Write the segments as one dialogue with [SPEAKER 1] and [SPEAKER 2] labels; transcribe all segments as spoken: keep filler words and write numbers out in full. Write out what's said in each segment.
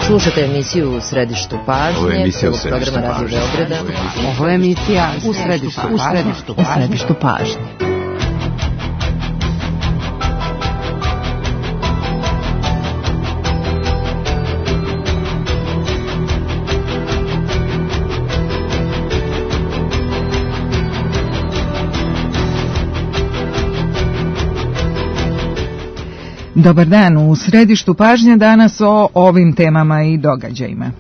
[SPEAKER 1] Slušate emisiju U središtu pažnje.
[SPEAKER 2] Ovo je emisija U
[SPEAKER 1] središtu pažnje. Radio Beograda.
[SPEAKER 3] Ovo je emisija U središtu pažnje. U središtu pažnje. Dobar dan, u središtu pažnje danas o ovim temama i događajima.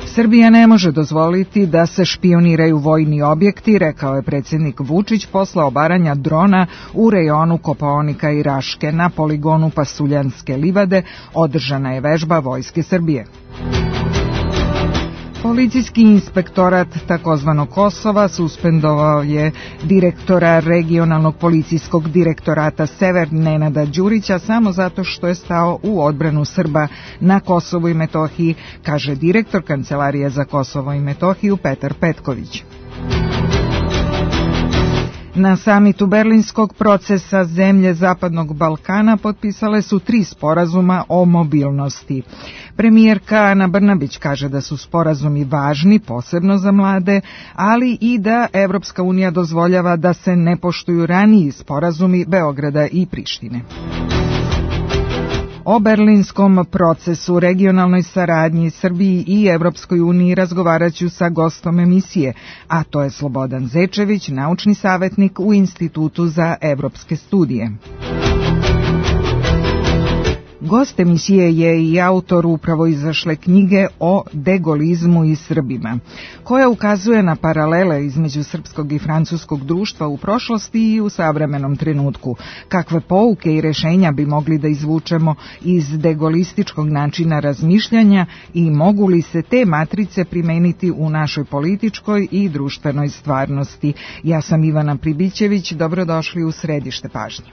[SPEAKER 3] Srbija ne može dozvoliti da se špijuniraju vojni objekti, rekao je predsjednik Vučić posle obaranja drona u rejonu Kopaonika i Raške. Na poligonu Pasuljanske livade održana je vežba Vojske Srbije. Policijski inspektorat takozvanog Kosova suspendovao je direktora regionalnog policijskog direktorata Sever Nenada Đurića samo zato što je stao u odbranu Srba na Kosovu i Metohiji, kaže direktor Kancelarije za Kosovo i Metohiju Petar Petković. Na samitu Berlinskog procesa zemlje Zapadnog Balkana potpisale su tri sporazuma o mobilnosti. Premijerka Ana Brnabić kaže da su sporazumi važni, posebno za mlade, ali i da Evropska unija dozvoljava da se ne poštuju raniji sporazumi Beograda i Prištine. O berlinskom procesu, regionalnoj saradnji Srbiji i Evropskoj uniji razgovarat ću sa gostom emisije, a to je Slobodan Zečević, naučni savjetnik u Institutu za evropske studije. Gost emisije je i autor upravo izašle knjige o degolizmu i Srbima, koja ukazuje na paralele između srpskog i francuskog društva u prošlosti i u savremenom trenutku. Kakve pouke i rešenja bi mogli da izvučemo iz degolističkog načina razmišljanja i mogu li se te matrice primeniti u našoj političkoj i društvenoj stvarnosti? Ja sam Ivana Pribićević, dobrodošli u središte pažnje.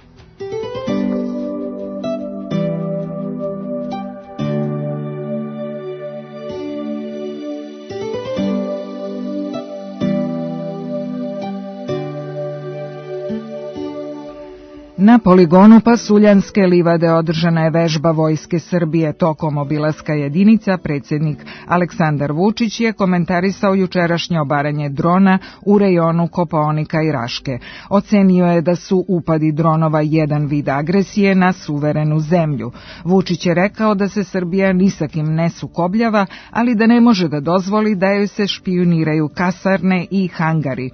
[SPEAKER 3] Na poligonu Pasuljanske livade održana je vežba Vojske Srbije. Tokom obilaska jedinica predsjednik Aleksandar Vučić je komentarisao jučerašnje obaranje drona u rejonu Kopaonika i Raške. Ocenio je da su upadi dronova jedan vid agresije na suverenu zemlju. Vučić je rekao da se Srbija ni sa kim ne sukobljava, ali da ne može da dozvoli da joj se špijuniraju kasarne i hangari.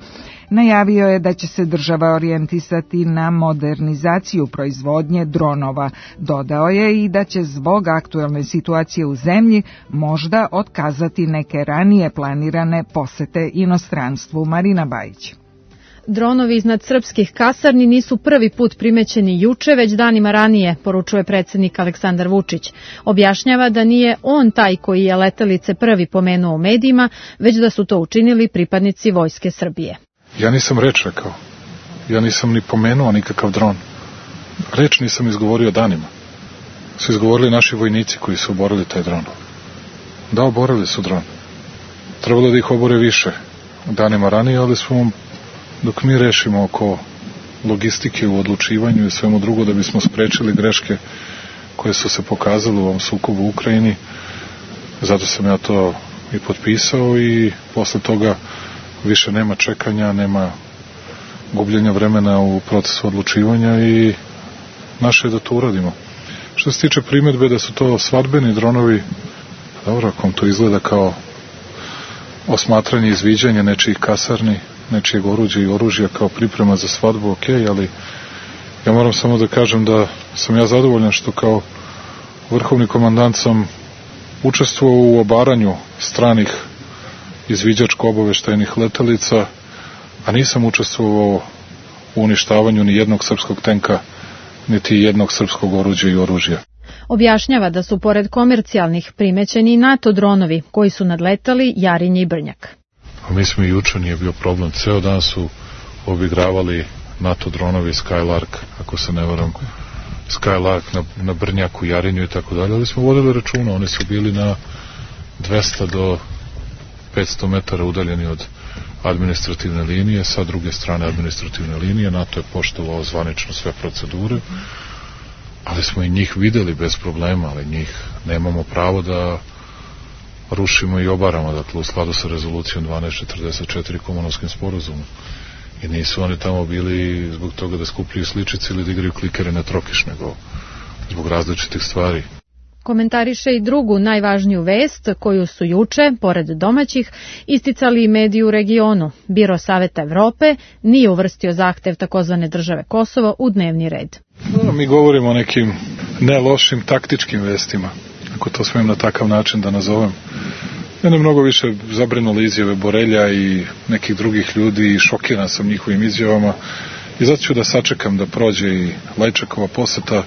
[SPEAKER 3] Najavio je da će se država orijentisati na modernizaciju proizvodnje dronova. Dodao je i da će zbog aktuelne situacije u zemlji možda otkazati neke ranije planirane posete inostranstvu. Marina Bajić.
[SPEAKER 4] Dronovi iznad srpskih kasarni nisu prvi put primećeni juče, već danima ranije, poručuje predsjednik Aleksandar Vučić. Objašnjava da nije on taj koji je letelice prvi pomenuo u medijima, već da su to učinili pripadnici Vojske Srbije.
[SPEAKER 5] Ja nisam reč rekao. Ja nisam ni pomenuo nikakav dron. Reč nisam izgovorio danima. Su izgovorili naši vojnici koji su oborili taj dron. Da, oborili su dron. Trebalo da ih obore više danima ranije, ali smo, dok mi rešimo oko logistike u odlučivanju i svemu drugo da bismo sprečili greške koje su se pokazale u ovom sukobu u Ukrajini, zato sam ja to i potpisao i posle toga više nema čekanja, nema gubljenja vremena u procesu odlučivanja i naše je da to uradimo. Što se tiče primjedbe da su to svadbeni dronovi, dobro, ako vam to izgleda kao osmatranje i izviđanje nečijih kasarni, nečijeg oruđa i oružja kao priprema za svadbu, ok, ali ja moram samo da kažem da sam ja zadovoljan što kao vrhovni komandant sam učestvovao u obaranju stranih izviđačko-obaveštajnih letelica, a nisam učestvovao u uništavanju ni jednog srpskog tenka, niti jednog srpskog oruđa i oružja.
[SPEAKER 4] Objašnjava da su pored komercijalnih primećeni i NATO dronovi koji su nadletali Jarinje i Brnjak.
[SPEAKER 5] A mi smo i juče, nije bio problem. Ceo dan su obigravali NATO dronovi Skylark, ako se ne varam, Skylark na, na Brnjaku, Jarinju i tako dalje, ali smo vodili računa, oni su bili na dvesta do petsto metara udaljeni od administrativne linije, sa druge strane administrativne linije. NATO je poštovao zvanično sve procedure, ali smo i njih videli bez problema, ali njih nemamo pravo da rušimo i obaramo, dakle u skladu sa rezolucijom dvanaest četrdeset četiri Komonovskim sporazumom. I nisu oni tamo bili zbog toga da skupljaju sličice ili da igraju klikere na trokiš, nego zbog različitih stvari.
[SPEAKER 4] Komentariše i drugu najvažniju vest koju su juče, pored domaćih, isticali i mediji u regionu. Biro Saveta Evrope nije uvrstio zahtev takozvane države Kosovo u dnevni red.
[SPEAKER 5] No, mi govorimo o nekim ne lošim taktičkim vestima, ako to smijem na takav način da nazovem. Mene mnogo više zabrinule izjave Borelja i nekih drugih ljudi i šokiran sam njihovim izjavama i zato ću da sačekam da prođe i Lajčakova poseta.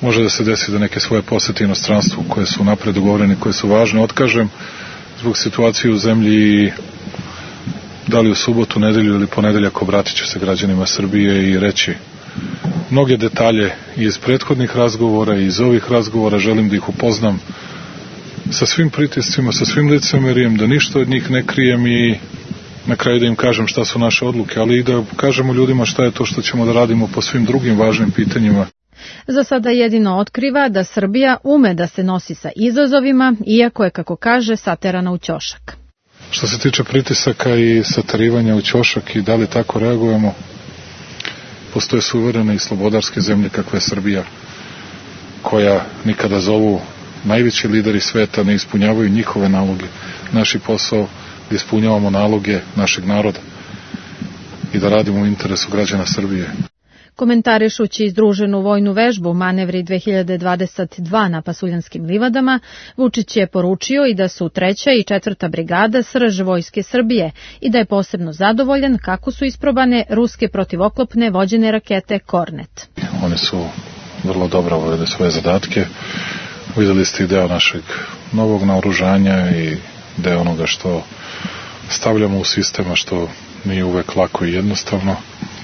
[SPEAKER 5] Može da se desi da neke svoje posete inostranstvu koje su napred dogovorene, koje su važne, otkažem zbog situacije u zemlji i da li u subotu, nedelju ili ponedeljak obratit ću se građanima Srbije i reći mnoge detalje iz prethodnih razgovora i iz ovih razgovora, želim da ih upoznam sa svim pritiscima, sa svim licemerijem, da ništa od njih ne krijem i na kraju da im kažem šta su naše odluke, ali i da kažemo ljudima šta je to što ćemo da radimo po svim drugim važnim pitanjima.
[SPEAKER 4] Za sada jedino otkriva da Srbija ume da se nosi sa izazovima, iako je, kako kaže, saterana u ćošak.
[SPEAKER 5] Što se tiče pritisaka i saterivanja u ćošak i da li tako reagujemo, postoje suverene i slobodarske zemlje kakva je Srbija, koja nikada zovu najveći lideri sveta, ne ispunjavaju njihove naloge. Naši posao da ispunjavamo naloge našeg naroda i da radimo u interesu građana Srbije.
[SPEAKER 4] Komentarišući izdruženu vojnu vežbu Manevri dve hiljade dvadeset dva na Pasuljanskim livadama, Vučić je poručio i da su treća i četvrta brigada srž vojske Srbije i da je posebno zadovoljan kako su isprobane ruske protivoklopne vođene rakete Kornet.
[SPEAKER 5] Oni su vrlo dobro obavili svoje zadatke. Videli ste i deo našeg novog naoružanja i deo onoga što stavljamo u sistema, što nije uvek lako i jednostavno.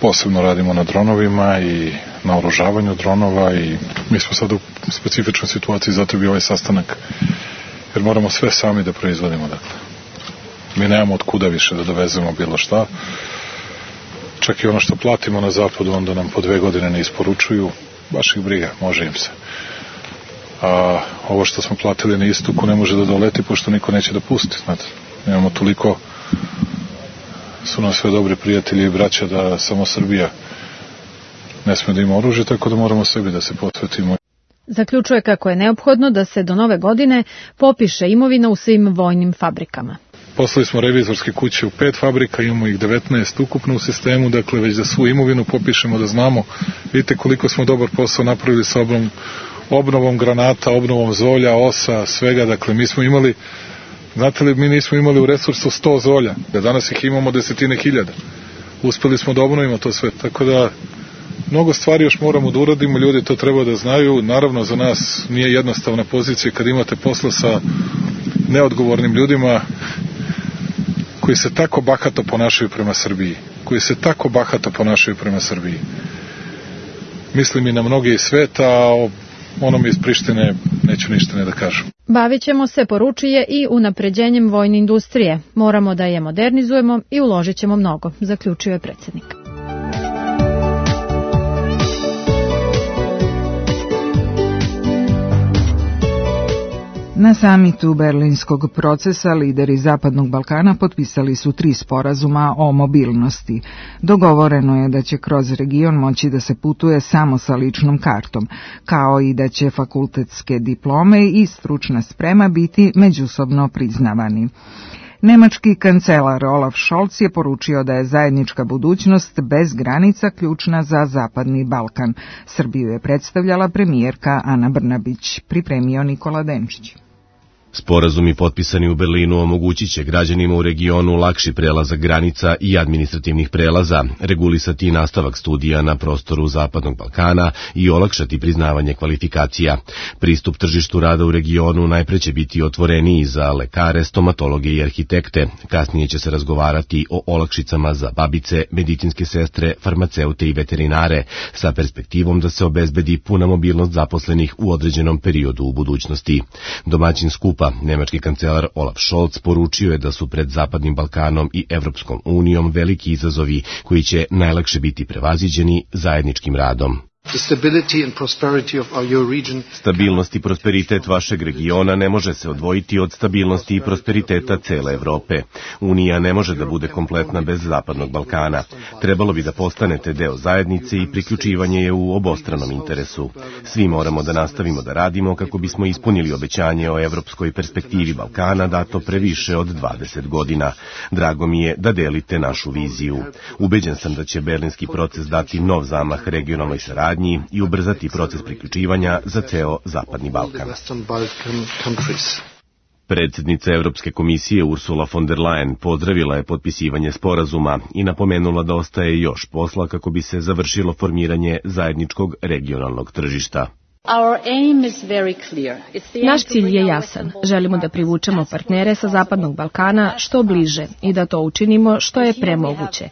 [SPEAKER 5] Posebno radimo na dronovima i na oružavanju dronova i mi smo sad u specifičnoj situaciji, zato bi ovaj sastanak, jer moramo sve sami da proizvodimo. Dakle, mi nemamo od kuda više da dovezemo bilo šta. Čak i ono što platimo na zapadu, onda nam po dve godine ne isporučuju, baš ih briga, može im se. A ovo što smo platili na istoku ne može da doleti, pošto niko neće da pusti. Znate, nemamo toliko, su nam sve dobri prijatelji i braća da samo Srbija ne sme da ima oružje, tako da moramo sebi da se posvetimo.
[SPEAKER 4] Zaključuje kako je neophodno da se do nove godine popiše imovina u svim vojnim fabrikama.
[SPEAKER 5] Poslali smo revizorske kuće u pet fabrika, imamo ih devetnaest ukupno u sistemu, dakle već da svu imovinu popišemo, da znamo, vidite koliko smo dobar posao napravili sa obnovom, obnovom granata, obnovom zolja, osa, svega, dakle mi smo imali, znate li, mi nismo imali u resursu sto zolja, da danas ih imamo desetine hiljada. Uspeli smo da obnovimo to sve, tako da mnogo stvari još moramo da uradimo, ljudi to treba da znaju, naravno za nas nije jednostavna pozicija kad imate posla sa neodgovornim ljudima koji se tako bahato ponašaju prema Srbiji, koji se tako bahato ponašaju prema Srbiji. Mislim i na mnoge iz sveta, a o onome iz Prištine neću ništa ne da kažem.
[SPEAKER 4] Bavit ćemo se, poručuje, i unapređenjem vojne industrije. Moramo da je modernizujemo i uložit ćemo mnogo, zaključio je predsjednik.
[SPEAKER 3] Na samitu Berlinskog procesa lideri Zapadnog Balkana potpisali su tri sporazuma o mobilnosti. Dogovoreno je da će kroz region moći da se putuje samo sa ličnom kartom, kao i da će fakultetske diplome i stručna sprema biti međusobno priznavani. Nemački kancelar Olaf Scholz je poručio da je zajednička budućnost bez granica ključna za Zapadni Balkan. Srbiju je predstavljala premijerka Ana Brnabić, pripremio Nikola Denčić.
[SPEAKER 2] Sporazumi potpisani u Berlinu omogućit će građanima u regionu lakši prelazak granica i administrativnih prelaza, regulisati nastavak studija na prostoru Zapadnog Balkana i olakšati priznavanje kvalifikacija. Pristup tržištu rada u regionu najpre će biti otvoreniji za lekare, stomatologe i arhitekte. Kasnije će se razgovarati o olakšicama za babice, medicinske sestre, farmaceute i veterinare, sa perspektivom da se obezbedi puna mobilnost zaposlenih u određenom periodu u budućnosti. Domaćin skupa, nemački kancelar Olaf Scholz, poručio je da su pred Zapadnim Balkanom i Evropskom unijom veliki izazovi koji će najlakše biti prevaziđeni zajedničkim radom. Stabilnost i prosperitet vašeg regiona ne može se odvojiti od stabilnosti i prosperiteta cele Evrope. Unija ne može da bude kompletna bez Zapadnog Balkana. Trebalo bi da postanete deo zajednice i priključivanje je u obostranom interesu. Svi moramo da nastavimo da radimo kako bismo ispunili obećanje o evropskoj perspektivi Balkana dato pre više od dvadeset godina. Drago mi je da delite našu viziju. Ubeđen sam da će berlinski proces dati nov zamah regionalnoj saradnji i ubrzati proces priključivanja za ceo Zapadni Balkan. Predsjednica Evropske komisije Ursula von der Leyen pozdravila je potpisivanje sporazuma i napomenula da ostaje još posla kako bi se završilo formiranje zajedničkog regionalnog tržišta.
[SPEAKER 6] Naš cilj je jasan. Želimo da privučemo partnere sa Zapadnog Balkana što bliže i da to učinimo što je premoguće.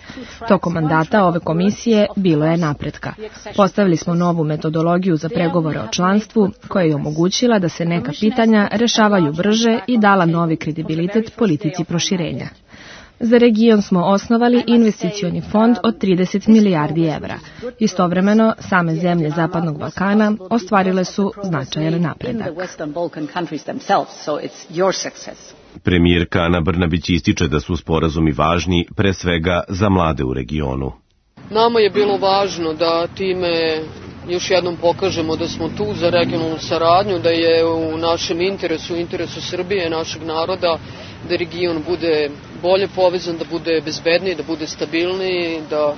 [SPEAKER 6] Tokom mandata ove komisije bilo je napretka. Postavili smo novu metodologiju za pregovore o članstvu koja je omogućila da se neka pitanja rešavaju brže i dala novi kredibilitet politici proširenja. Za region smo osnovali investicioni fond od trideset milijardi evra. Istovremeno, same zemlje Zapadnog Balkana ostvarile su značajan napredak.
[SPEAKER 2] Premijerka Ana Brnabić ističe da su sporazumi važni pre svega za mlade u regionu.
[SPEAKER 7] Nama je bilo važno da time još jednom pokažemo da smo tu za regionalnu saradnju, da je u našem interesu, u interesu Srbije, našeg naroda, da region bude bolje povezan, da bude bezbedniji, da bude stabilniji, da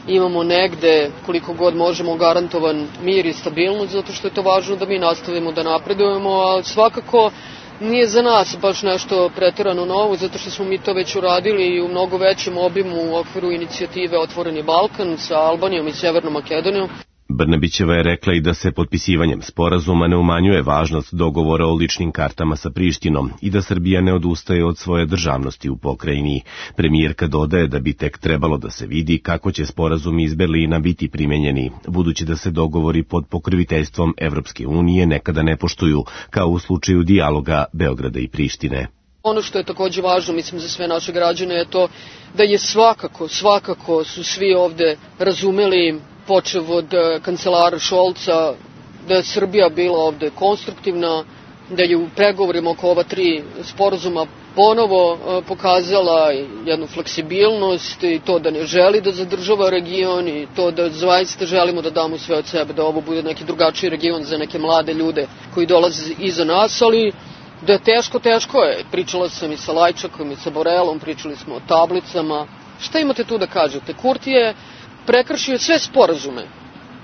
[SPEAKER 7] imamo negde koliko god možemo garantovan mir i stabilnost, zato što je to važno da mi nastavimo da napredujemo, a svakako nije za nas baš nešto preterano novo, zato što smo mi to već uradili u mnogo većem obimu u okviru inicijative Otvoreni Balkan sa Albanijom i Severnom Makedonijom.
[SPEAKER 2] Brnabićeva je rekla i da se potpisivanjem sporazuma ne umanjuje važnost dogovora o ličnim kartama sa Prištinom i da Srbija ne odustaje od svoje državnosti u pokrajini. Premijerka dodaje da bi tek trebalo da se vidi kako će sporazumi iz Berlina biti primenjeni, budući da se dogovori pod pokroviteljstvom Evropske unije nekada ne poštuju, kao u slučaju dijaloga Beograda i Prištine.
[SPEAKER 7] Ono što je takođe važno, mislim, za sve naše građane je to da je svakako, svakako su svi ovde razumeli, počev od kancelara Šolca, da je Srbija bila ovde konstruktivna, da je u pregovorima oko ova tri sporazuma ponovo pokazala jednu fleksibilnost i to da ne želi da zadržava region i to da zaista želimo da damo sve od sebe, da ovo bude neki drugačiji region za neke mlade ljude koji dolaze iza nas, ali da je teško, teško je. Pričala sam i sa Lajčakom i sa Borelom, pričali smo o tablicama. Šta imate tu da kažete? Kurti je prekršio sve sporazume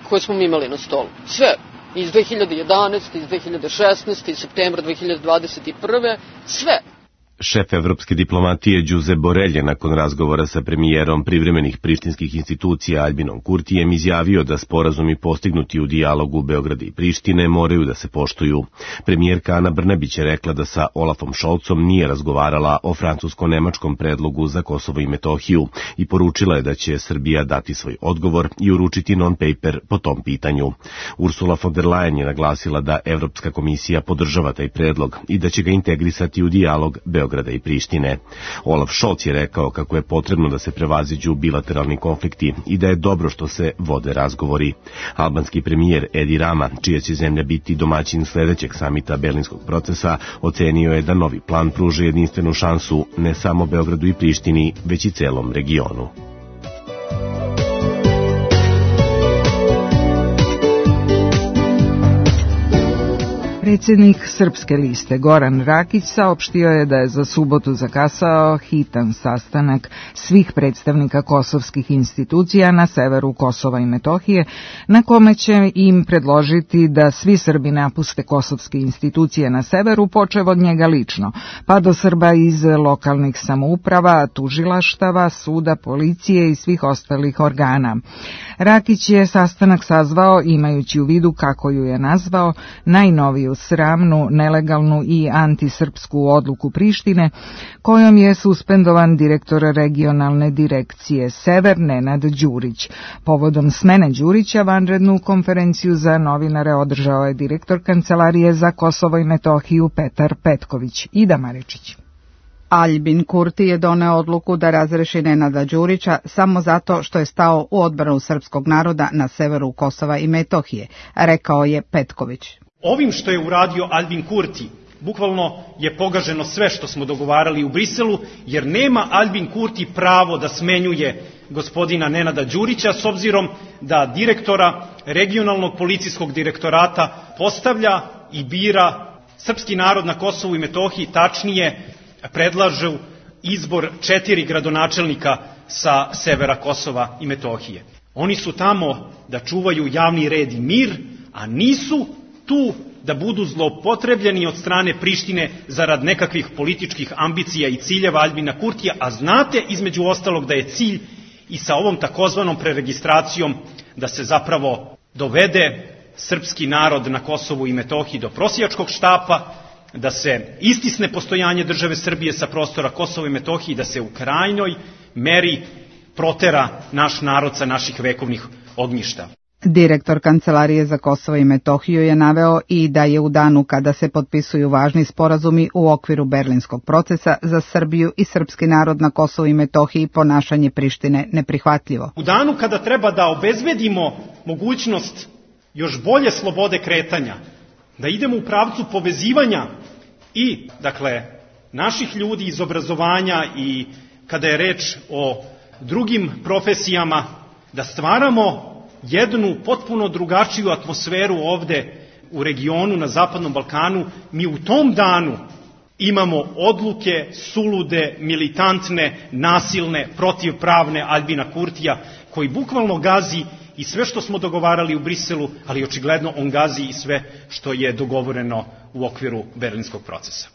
[SPEAKER 7] koje smo mi imali na stolu. Sve. Iz dve hiljade jedanaeste. iz dve hiljade šesnaeste. iz septembra dve hiljade dvadeset prve. Sve.
[SPEAKER 2] Šef evropske diplomatije Đuze Borelj je nakon razgovora sa premijerom privremenih prištinskih institucija Albinom Kurtijem izjavio da sporazumi postignuti u dijalogu Beograda i Prištine moraju da se poštuju. Premijerka Ana Brnabić je rekla da sa Olafom Šolcom nije razgovarala o francusko-nemačkom predlogu za Kosovo i Metohiju i poručila je da će Srbija dati svoj odgovor i uručiti non-paper po tom pitanju. Ursula von der Leyen je naglasila da Evropska komisija podržava taj predlog i da će ga integrisati u dijalog Beograda i Prištine. Olaf Scholz je rekao kako je potrebno da se prevaziđu bilateralni konflikti i da je dobro što se vode razgovori. Albanski premijer Edi Rama, čija će zemlja biti domaćin sledećeg samita berlinskog procesa, ocenio je da novi plan pruža jedinstvenu šansu ne samo Beogradu i Prištini, već i celom regionu.
[SPEAKER 3] Predsjednik Srpske liste Goran Rakić saopštio je da je za subotu zakasao hitan sastanak svih predstavnika kosovskih institucija na severu Kosova i Metohije, na kome će im predložiti da svi Srbi napuste kosovske institucije na severu, počev od njega lično, pa do Srba iz lokalnih samouprava, tužilaštava, suda, policije i svih ostalih organa. Rakić je sastanak sazvao imajući u vidu, kako ju je nazvao, najnoviju sramnu, nelegalnu i antisrpsku odluku Prištine, kojom je suspendovan direktor regionalne direkcije Sever Nenad Đurić. Povodom smene Đurića vanrednu konferenciju za novinare održao je direktor Kancelarije za Kosovo i Metohiju Petar Petković. Ida Maričić.
[SPEAKER 8] Aljbin Kurti je doneo odluku da razreši Nenada Đurića samo zato što je stao u odbranu srpskog naroda na severu Kosova i Metohije, rekao je Petković.
[SPEAKER 9] Ovim što je uradio Aljbin Kurti, bukvalno je pogaženo sve što smo dogovarali u Briselu, jer nema Aljbin Kurti pravo da smenjuje gospodina Nenada Đurića, s obzirom da direktora regionalnog policijskog direktorata postavlja i bira srpski narod na Kosovu i Metohiji, tačnije predlažu izbor četiri gradonačelnika sa severa Kosova i Metohije. Oni su tamo da čuvaju javni red i mir, a nisu tu da budu zloupotrebljeni od strane Prištine zarad nekakvih političkih ambicija i ciljeva Aljbina Kurtija, a znate između ostalog da je cilj i sa ovom takozvanom preregistracijom da se zapravo dovede srpski narod na Kosovu i Metohiji do prosjačkog štapa, da se istisne postojanje države Srbije sa prostora Kosova i Metohije, da se u krajnjoj meri protera naš narod sa naših vekovnih ognjišta.
[SPEAKER 8] Direktor Kancelarije za Kosovo i Metohiju je naveo i da je u danu kada se potpisuju važni sporazumi u okviru berlinskog procesa za Srbiju i srpski narod na Kosovu i Metohiji ponašanje Prištine neprihvatljivo.
[SPEAKER 9] U danu kada treba da obezbedimo mogućnost još bolje slobode kretanja, da idemo u pravcu povezivanja i, dakle, naših ljudi iz obrazovanja i kada je reč o drugim profesijama, da stvaramo jednu potpuno drugačiju atmosferu ovde u regionu, na Zapadnom Balkanu, mi u tom danu imamo odluke sulude, militantne, nasilne, protivpravne Aljbina Kurtija, koji bukvalno gazi i sve što smo dogovarali u Briselu, ali očigledno on gazi i sve što je dogovoreno u okviru berlinskog procesa.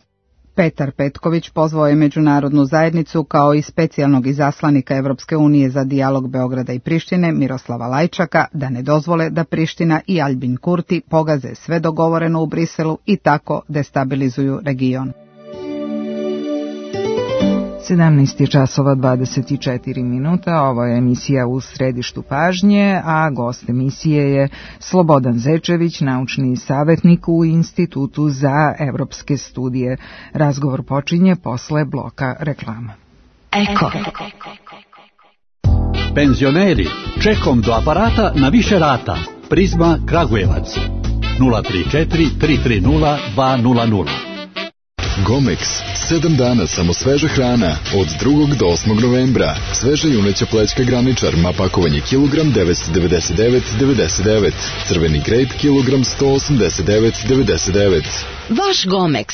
[SPEAKER 8] Petar Petković pozvao je međunarodnu zajednicu kao i specijalnog izaslanika Evropske unije za dijalog Beograda i Prištine Miroslava Lajčaka da ne dozvole da Priština i Aljbin Kurti pogaze sve dogovoreno u Briselu i tako destabilizuju region.
[SPEAKER 3] sedamnaest časova dvadeset četiri minuta, ovo je emisija U središtu pažnje, a gost emisije je Slobodan Zečević, naučni savjetnik u Institutu za evropske studije. Razgovor počinje posle bloka reklama.
[SPEAKER 10] Eko. Penzioneri, čekom do aparata na više rata. Prizma Kragujevac. nula tri četiri tri tri nula dva nula nula.
[SPEAKER 11] Gomex, sedam dana samo sveža hrana, od drugog do osmog novembra. Sveža juneća plećka graničar, ma pakovanje kilogram devetsto devedeset devet devedeset devet. Crveni grejp kilogram sto osamdeset devet devedeset devet.
[SPEAKER 12] Vaš Gomex.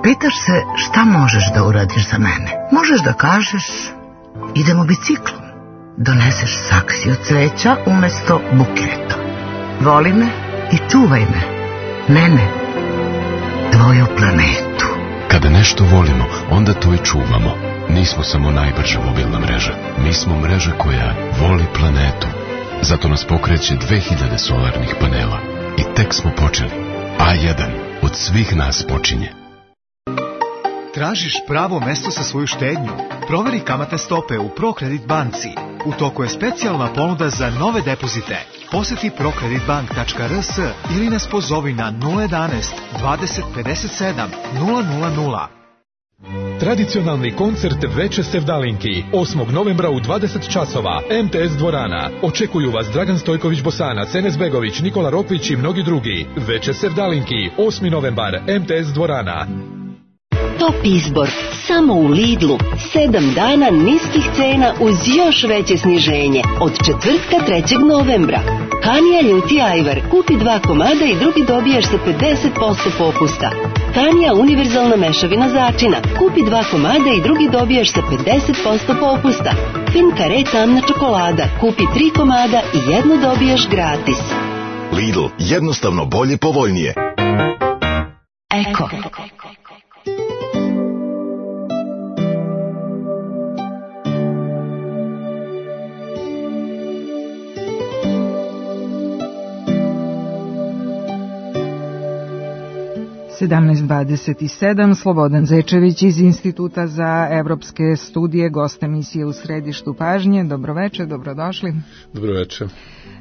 [SPEAKER 13] Pitaš se šta možeš da uradiš za mene? Možeš da kažeš, idemo biciklom. Doneseš saksiju cveća umesto buketa. Voli me i čuvaj me. Mene. Tvoju planetu.
[SPEAKER 14] Kada nešto volimo, onda to i čuvamo. Nismo samo najbrža mobilna mreža. Mi smo mreža koja voli planetu. Zato nas pokreće dve hiljade solarnih panela. I tek smo počeli. A jedan od svih nas počinje.
[SPEAKER 15] Tražiš pravo mesto za svoju štednju? Proveri kamatne stope u ProKredit banci. U toku je specijalna ponuda za nove depozite. Poseti prokreditbank tačka r s ili nas pozovi na nula jedanaest dvadeset pedeset sedam nula nula nula.
[SPEAKER 16] Tradicionalni koncert Veče Sevdalinki osmog novembra u dvadeset časova, em te es dvorana. Očekuju vas Dragan Stojković Bosanac, Enes Begović, Nikola Rokvić i mnogi drugi. Veče Sevdalinki, osmi novembar, em te es dvorana.
[SPEAKER 12] Top izbor samo u Lidlu. Sedam dana niskih cena uz još veće sniženje. Od četvrtka trećeg novembra. Hanija ljuti ajvar. Kupi dva komada i drugi dobijaš sa pedeset posto popusta. Hanija univerzalna mešavina začina. Kupi dva komada i drugi dobijaš sa pedeset posto popusta. Fin kare tamna čokolada. Kupi tri komada i jednu dobijaš gratis.
[SPEAKER 17] Lidl, jednostavno bolje, povoljnije.
[SPEAKER 12] Eko.
[SPEAKER 3] sedamnaest dvadeset sedam, Slobodan Zečević iz Instituta za evropske studije, gost emisije U središtu pažnje. Dobroveče, dobrodošli.
[SPEAKER 5] Dobroveče.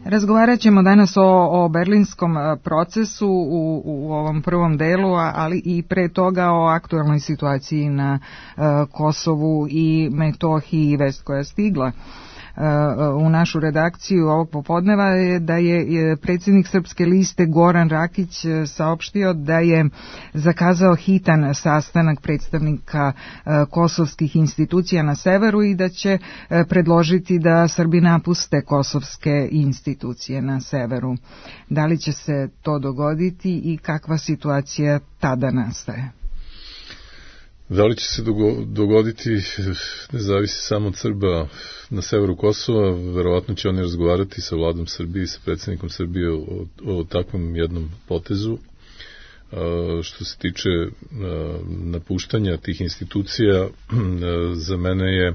[SPEAKER 3] Razgovarat ćemo danas o, o berlinskom procesu u, u ovom prvom delu, ali i pre toga o aktuelnoj situaciji na uh, Kosovu i Metohiji i vest koja je stigla u našu redakciju ovog popodneva je da je predsjednik Srpske liste Goran Rakić saopštio da je zakazao hitan sastanak predstavnika kosovskih institucija na severu i da će predložiti da Srbi napuste kosovske institucije na severu. Da li će se to dogoditi i kakva situacija tada nastaje?
[SPEAKER 18] Da li će se dogoditi, ne zavisi samo od Srba na severu Kosova, verovatno će oni razgovarati sa vladom Srbije i sa predsjednikom Srbije o, o takvom jednom potezu. Što se tiče napuštanja tih institucija, za mene je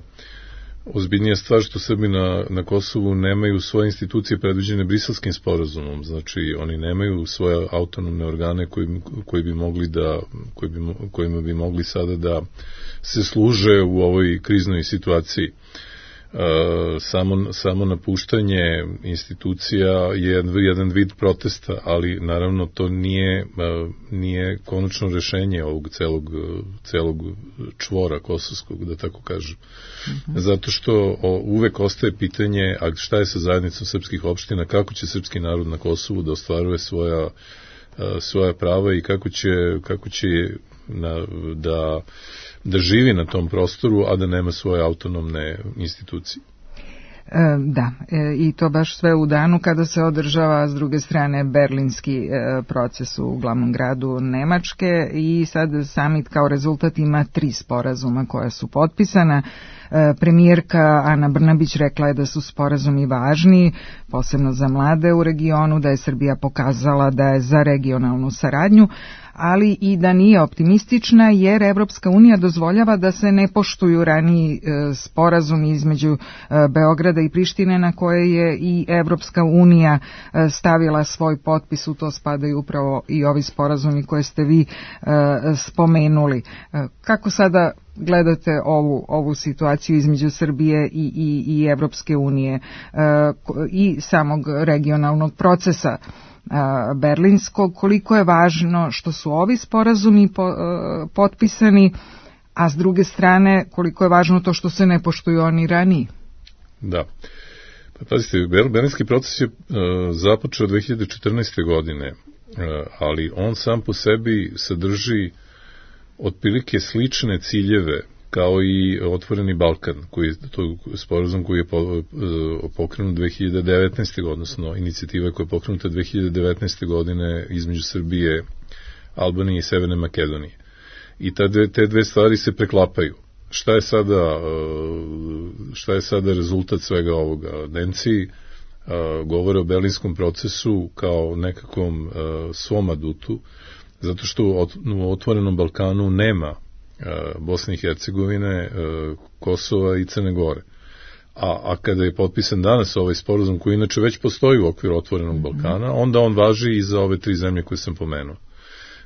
[SPEAKER 18] ozbiljnija stvar što Srbi na, na Kosovu nemaju svoje institucije predviđene Briselskim sporazumom, znači oni nemaju svoje autonomne organe koji, koji bi mogli da, koji bi, kojima bi mogli sada da se služe u ovoj kriznoj situaciji. E, samo, samo napuštanje institucija je jedan vid protesta, ali naravno to nije, nije konačno rešenje ovog celog, celog čvora kosovskog, da tako kažem. Mm-hmm. Zato što o, uvek ostaje pitanje, a šta je sa zajednicom srpskih opština, kako će srpski narod na Kosovu da ostvaruje svoja, a, svoja prava i kako će, kako će na, da da živi na tom prostoru, a da nema svoje autonomne institucije.
[SPEAKER 3] Da, i to baš sve u danu kada se održava s druge strane berlinski proces u glavnom gradu Nemačke i sad samit kao rezultat ima tri sporazuma koja su potpisana. Premijerka Ana Brnabić rekla je da su sporazumi važni, posebno za mlade u regionu, da je Srbija pokazala da je za regionalnu saradnju, ali i da nije optimistična jer Evropska unija dozvoljava da se ne poštuju raniji sporazumi između Beograda i Prištine na koje je i Evropska unija stavila svoj potpis. U to spadaju upravo i ovi sporazumi koje ste vi spomenuli. Kako sada gledate ovu, ovu situaciju između Srbije i, i, i Evropske unije i samog regionalnog procesa berlinskog, koliko je važno što su ovi sporazumi po, potpisani, a s druge strane koliko je važno to što se ne poštuju oni raniji?
[SPEAKER 18] Da. Pa pazite, berlinski proces je uh, započeo dve hiljade četrnaeste. godine, uh, ali on sam po sebi sadrži otprilike slične ciljeve kao i Otvoreni Balkan, koji to sporazum koji je pokrenut dve hiljade devetnaeste. odnosno inicijativa koja je pokrenuta dve hiljade devetnaeste. godine između Srbije, Albanije i Severne Makedonije. I te dve, te dve stvari se preklapaju. Šta je sada, šta je sada rezultat svega ovoga? Nemci govore o berlinskom procesu kao nekakvom svom adutu, zato što u Otvorenom Balkanu nema Bosne i Hercegovine, Kosova i Crne Gore. A, a kada je potpisan danas ovaj sporazum koji inače već postoji u okviru Otvorenog Balkana, onda on važi i za ove tri zemlje koje sam pomenuo.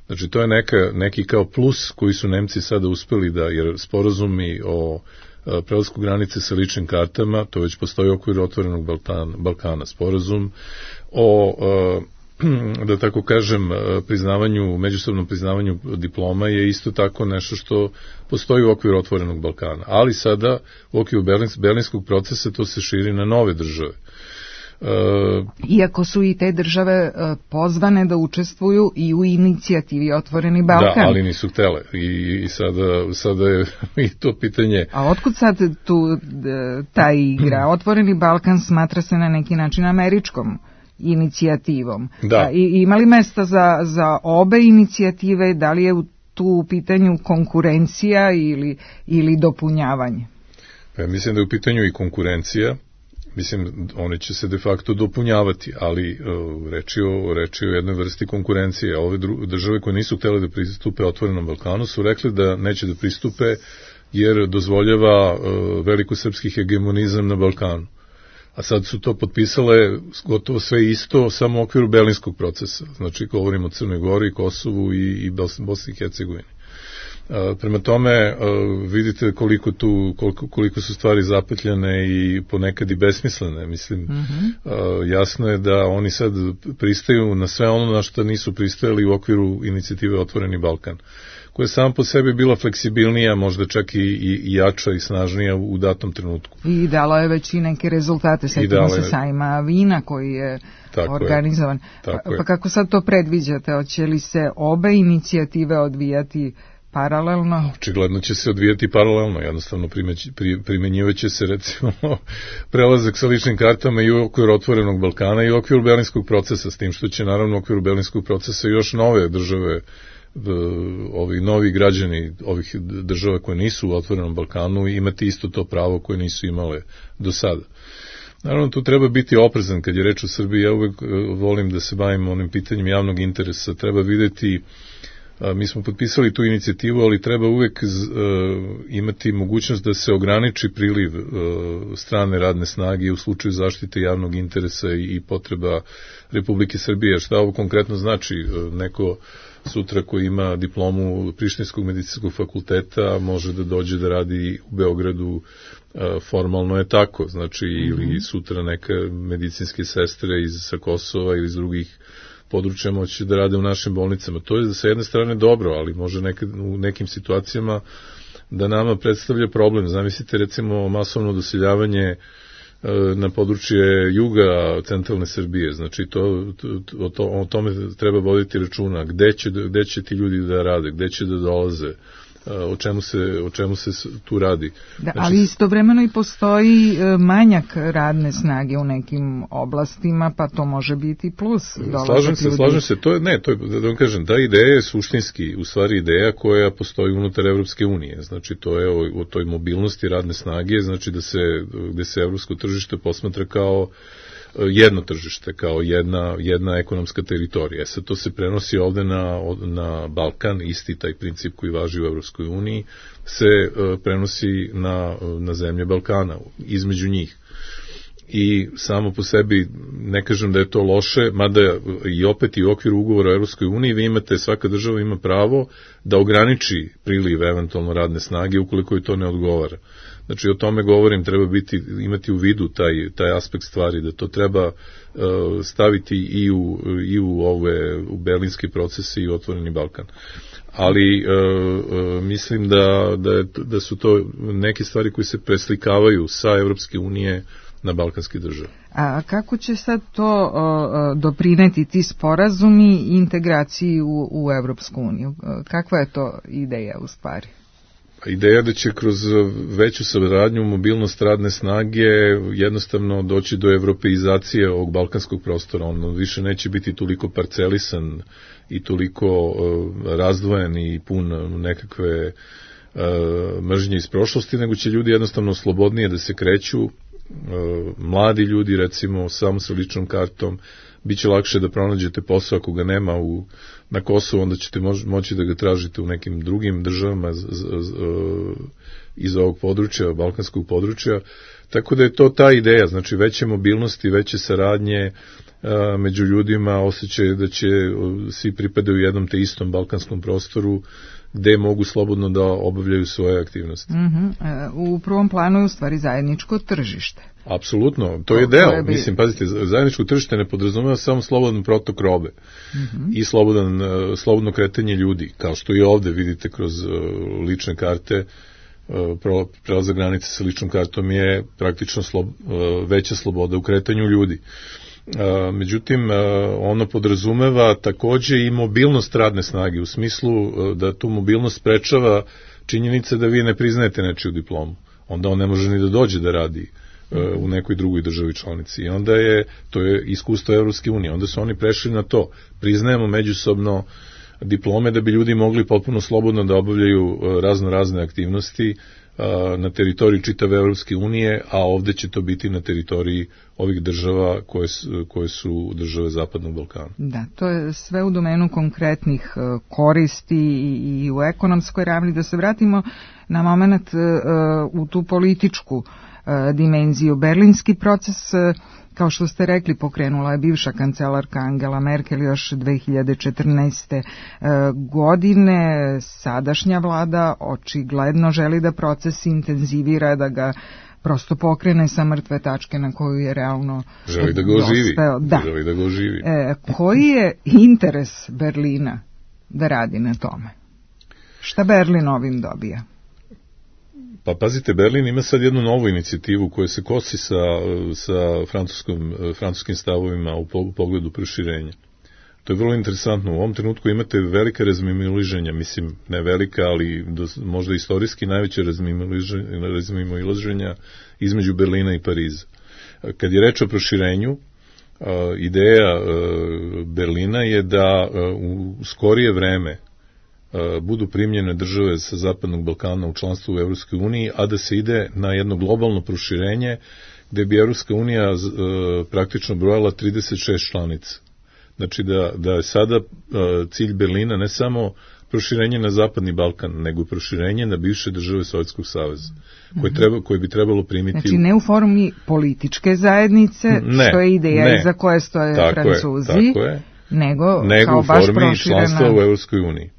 [SPEAKER 18] Znači to je neka, neki kao plus koji su Nemci sada uspeli da, jer sporazumi o prelasku granice sa ličnim kartama, to već postoji u okviru Otvorenog Balkana, Balkana. Sporazum o da tako kažem, priznavanju, međusobnom priznavanju diploma je isto tako nešto što postoji u okviru Otvorenog Balkana. Ali sada u okviru Berlins, berlinskog procesa to se širi na nove države.
[SPEAKER 3] E, Iako su i te države pozvane da učestvuju i u inicijativi Otvoreni Balkan.
[SPEAKER 18] Da, ali nisu htele. I, i sada, sada je i to pitanje...
[SPEAKER 3] A otkud sad tu ta igra? Otvoreni Balkan smatra se na neki način američkom inicijativom.
[SPEAKER 18] Da.
[SPEAKER 3] I, ima li mesta za, za obe inicijative? Da li je tu u pitanju konkurencija ili, ili dopunjavanje?
[SPEAKER 18] Pa mislim da je u pitanju i konkurencija. Mislim, one će se de facto dopunjavati, ali uh, reči, o, reči o jednoj vrsti konkurencije. Ove dru, države koje nisu htjele da pristupe Otvorenom Balkanu su rekli da neće da pristupe jer dozvoljava uh, velikosrpski hegemonizam na Balkanu. A sad su to potpisale gotovo sve isto, samo u okviru berlinskog procesa. Znači, govorimo o Crnoj Gori, Kosovu i, i Bosni i Hercegovini. Prema tome, vidite koliko tu, koliko, koliko su stvari zapetljane i ponekad i besmislene. Mislim, mm-hmm. jasno je da oni sad pristaju na sve ono na što nisu pristajali u okviru inicijative Otvoreni Balkan, koja je sama po sebi bila fleksibilnija, možda čak i, i, i jača i snažnija u datom trenutku.
[SPEAKER 3] I dalo je već i neke rezultate, setimo se sajma vina koji je tako organizovan. Je, pa, pa kako sad to predviđate? Hoće li se obe inicijative odvijati paralelno?
[SPEAKER 18] Očigledno će se odvijati paralelno, jednostavno primenjivaće se recimo prelazak sa ličnim kartama i u okviru Otvorenog Balkana i u okviru Berlinskog procesa, s tim što će naravno u okviru Berlinskog procesa još nove države, ovi novi građani ovih država koje nisu u Otvorenom Balkanu imati isto to pravo koje nisu imale do sada. Naravno, tu treba biti oprezan kad je reč o Srbiji. Ja uvek volim da se bavim onim pitanjem javnog interesa. Treba videti, mi smo potpisali tu inicijativu, ali treba uvek imati mogućnost da se ograniči priliv strane radne snage u slučaju zaštite javnog interesa i potreba Republike Srbije. Šta ovo konkretno znači? Neko sutra koji ima diplomu Prištinskog medicinskog fakulteta može da dođe da radi u Beogradu, formalno je tako, znači mm-hmm. ili sutra neka medicinske sestre iz sa Kosova ili iz drugih područja moći da rade u našim bolnicama. To je sa jedne strane dobro, ali može nekad, u nekim situacijama da nama predstavlja problem. Zamislite recimo masovno doseljavanje na područje juga centralne Srbije, znači to, to, to, o tome treba voditi računa, gde će, gde će ti ljudi da rade, gde će da dolaze, o čemu se, o čemu se tu radi.
[SPEAKER 3] Da, znači, ali istovremeno i postoji manjak radne snage u nekim oblastima, pa to može biti plus.
[SPEAKER 18] Slažem se, ljudi. slažem se, to je, ne, to je, da vam kažem, ta ideja je suštinski, u stvari ideja koja postoji unutar Evropske unije, znači to je o, o toj mobilnosti radne snage, znači da se, gde se evropsko tržište posmatra kao jedno tržište, kao jedna, jedna ekonomska teritorija. E sad to se prenosi ovde na, na Balkan, isti taj princip koji važi u Evropskoj uniji, se uh, prenosi na, na zemlje Balkana, između njih. I samo po sebi ne kažem da je to loše, mada i opet i u okviru ugovora o Evropskoj uniji vi imate, svaka država ima pravo da ograniči priliv eventualno radne snage ukoliko je to ne odgovara. Znači o tome govorim, treba biti, imati u vidu taj, taj aspekt stvari, da to treba uh, staviti i u, i u ove u berlinske procese i u Otvoreni Balkan. Ali uh, uh, mislim da, da, je, da su to neke stvari koje se preslikavaju sa Evropske unije na balkanske države.
[SPEAKER 3] A kako će sad to uh, doprineti ti sporazumi i integraciji u, u Evropsku uniju? Kakva je to ideja u stvari?
[SPEAKER 18] Ideja da će kroz veću saradnju, mobilnost radne snage jednostavno doći do evropeizacije ovog balkanskog prostora. On više neće biti toliko parcelisan i toliko uh, razdvojen i pun nekakve uh, mržnje iz prošlosti, nego će ljudi jednostavno slobodnije da se kreću, uh, mladi ljudi recimo samo sa ličnom kartom, bit će lakše da pronađete posao ako ga nema u, na Kosovu, onda ćete mož, moći da ga tražite u nekim drugim državama z, z, z, iz ovog područja, balkanskog područja, tako da je to ta ideja, znači veće mobilnosti, veće saradnje a, među ljudima, osjećaj da će svi pripadaju jednom te istom balkanskom prostoru, gde mogu slobodno da obavljaju svoje aktivnosti.
[SPEAKER 3] Mm-hmm. U prvom planu je u stvari zajedničko tržište.
[SPEAKER 18] Apsolutno, to je deo. Bi... Mislim, pazite, zajedničko tržište ne podrazumeva samo slobodan protok robe mm-hmm. i slobodan, slobodno kretanje ljudi, kao što i ovde vidite kroz lične karte. Prelazak granice sa ličnom kartom je praktično slob, veća sloboda u kretanju ljudi. Međutim, ono podrazumeva takođe i mobilnost radne snage, u smislu da tu mobilnost sprečava činjenica da vi ne priznajete nečiju diplomu. Onda on ne može ni da dođe da radi u nekoj drugoj državi članici. I onda je, to je iskustvo Evropske unije, onda su oni prešli na to. Priznajemo međusobno diplome da bi ljudi mogli potpuno slobodno da obavljaju razno razne aktivnosti na teritoriji čitave Evropske unije, a ovde će to biti na teritoriji ovih država koje su, koje su države Zapadnog Balkana.
[SPEAKER 3] Da, to je sve u domenu konkretnih koristi i, i u ekonomskoj ravni. Da se vratimo na moment uh, u tu političku dimenziju. Berlinski proces, kao što ste rekli, pokrenula je bivša kancelarka Angela Merkel još dve hiljade četrnaeste. godine. Sadašnja vlada očigledno želi da proces intenzivira, da ga prosto pokrene sa mrtve tačke na koju je realno
[SPEAKER 18] želi da ga oživi.
[SPEAKER 3] Da.
[SPEAKER 18] Želi da ga oživi.
[SPEAKER 3] E, koji je interes Berlina da radi na tome? Šta Berlin ovim dobija?
[SPEAKER 18] Pa pazite, Berlin ima sad jednu novu inicijativu koja se kosi sa, sa francuskom, francuskim stavovima u pogledu proširenja. To je vrlo interesantno. U ovom trenutku imate velike razmimoilaženja, mislim, ne velika, ali do, možda istorijski najveće razmimoilaženja između Berlina i Pariza. Kad je reč o proširenju, ideja Berlina je da u skorije vreme budu primljene države sa Zapadnog Balkana u članstvu u Evropskoj uniji, a da se ide na jedno globalno proširenje gde bi Evropska unija praktično brojala trideset šest članica. Znači da, da je sada cilj Berlina ne samo proširenje na Zapadni Balkan, nego i proširenje na bivše države Sovjetskog saveza, koje, treba, koje bi trebalo primiti...
[SPEAKER 3] Znači ne u formi političke zajednice, ne, što je ideja ne, iza koje stoje
[SPEAKER 18] tako
[SPEAKER 3] Francuzi,
[SPEAKER 18] je, tako je,
[SPEAKER 3] nego,
[SPEAKER 18] nego
[SPEAKER 3] kao
[SPEAKER 18] u
[SPEAKER 3] baš
[SPEAKER 18] formi
[SPEAKER 3] proširena...
[SPEAKER 18] članstva u Evropskoj uniji.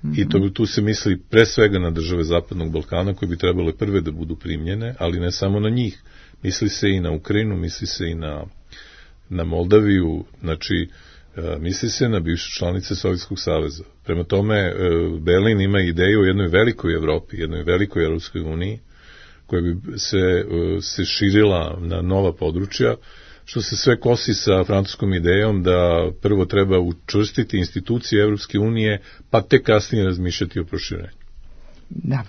[SPEAKER 18] Mm-hmm. I to, tu se misli pre svega na države Zapadnog Balkana, koje bi trebale prve da budu primljene, ali ne samo na njih. Misli se i na Ukrajinu, misli se i na, na Moldaviju, znači misli se na bivše članice Sovjetskog saveza. Prema tome, Berlin ima ideju o jednoj velikoj Evropi, jednoj velikoj Evropskoj uniji, koja bi se, se širila na nova područja, što se sve kosi sa francuskom idejom da prvo treba učvrstiti institucije Evropske unije, pa tek kasnije razmišljati o proširenju.
[SPEAKER 3] Da.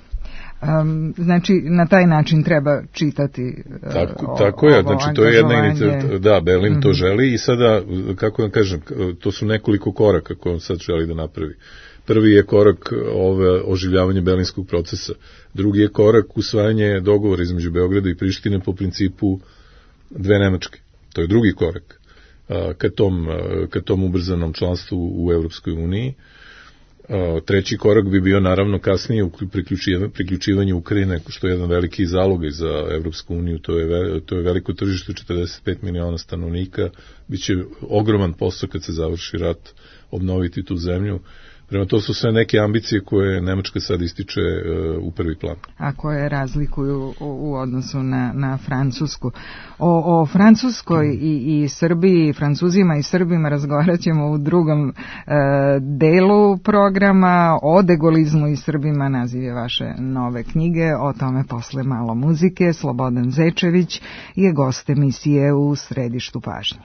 [SPEAKER 3] Um, znači, na taj način treba čitati uh,
[SPEAKER 18] tako,
[SPEAKER 3] o,
[SPEAKER 18] tako je, znači to je jedna inicijativa, da, Berlin mm-hmm. to želi i sada, kako vam kažem, to su nekoliko koraka koje on sad želi da napravi. Prvi je korak ove, oživljavanje berlinskog procesa, drugi je korak usvajanje dogovora između Beograda i Prištine po principu dve Nemačke. To je drugi korak uh, ka tom, uh, ka tom ubrzanom članstvu u Evropskoj uniji. Treći korak bi bio naravno kasnije priključivanje, priključivanje Ukrajine, što je jedan veliki zalog za Evropsku uniju, to je, to je veliko tržište, četrdeset pet miliona stanovnika, biće ogroman posao kad se završi rat obnoviti tu zemlju. Prema to su sve neke ambicije koje Nemačka sad ističe uh, u prvi plan.
[SPEAKER 3] A koje razlikuju u, u odnosu na, na Francusku. O, o Francuskoj i, i Srbiji, Francuzima i Srbima razgovarat ćemo u drugom uh, delu programa. O degolizmu i Srbima naziv je vaše nove knjige, o tome posle malo muzike. Slobodan Zečević je gost emisije u Središtu pažnje.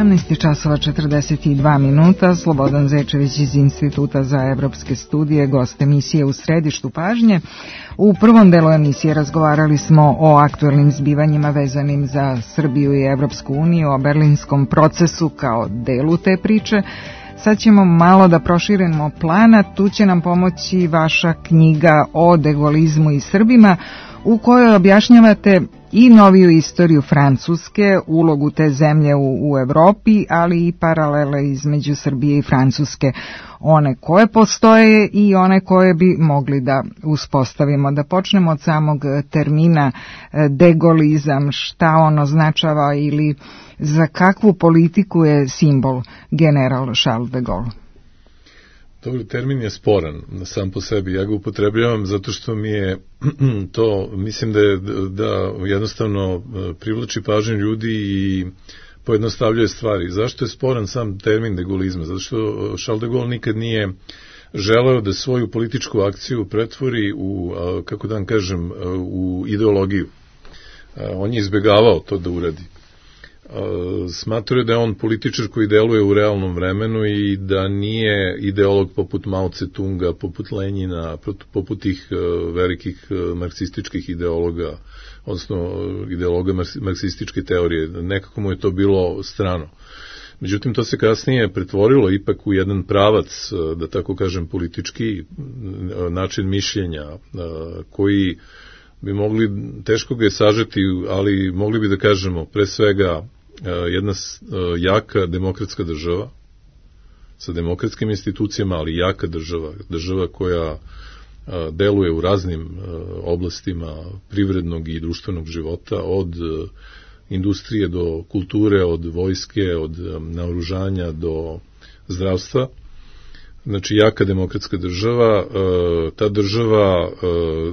[SPEAKER 3] sedamnaest časova četrdeset dva minuta. Slobodan Zečević iz Instituta za evropske studije, gost emisije U središtu pažnje. U prvom delu emisije razgovarali smo o aktuelnim zbivanjima vezanim za Srbiju i Evropsku uniju, o berlinskom procesu kao delu te priče. Sad ćemo malo da proširimo plana, tu će nam pomoći vaša knjiga o degolizmu i Srbima, u kojoj objašnjavate i noviju istoriju Francuske, ulogu te zemlje u, u Evropi, ali i paralele između Srbije i Francuske, one koje postoje i one koje bi mogli da uspostavimo. Da počnemo od samog termina degolizam, šta on označava ili za kakvu politiku je simbol general Charles de Gaulle?
[SPEAKER 18] Dobro, termin je sporan sam po sebi. Ja ga upotrebljavam zato što mi je to, mislim da je da jednostavno privlači pažnju ljudi i pojednostavljuje stvari. Zašto je sporan sam termin degolizma? Zato što Charles de Gaulle nikad nije želeo da svoju političku akciju pretvori u, kako da vam kažem, u ideologiju. On je izbegavao to da uradi. Smatruje da je on političar koji deluje u realnom vremenu i da nije ideolog poput Mao Tse-tunga, poput Lenjina, poput tih velikih marksističkih ideologa, odnosno ideologa marksističke teorije. Nekako mu je to bilo strano. Međutim, to se kasnije pretvorilo ipak u jedan pravac, da tako kažem, politički način mišljenja koji bi mogli, teško ga je sažeti, ali mogli bi da kažemo pre svega jedna jaka demokratska država sa demokratskim institucijama, ali jaka država, država koja deluje u raznim oblastima privrednog i društvenog života, od industrije do kulture, od vojske, od naoružanja do zdravstva. Znači, jaka demokratska država, ta država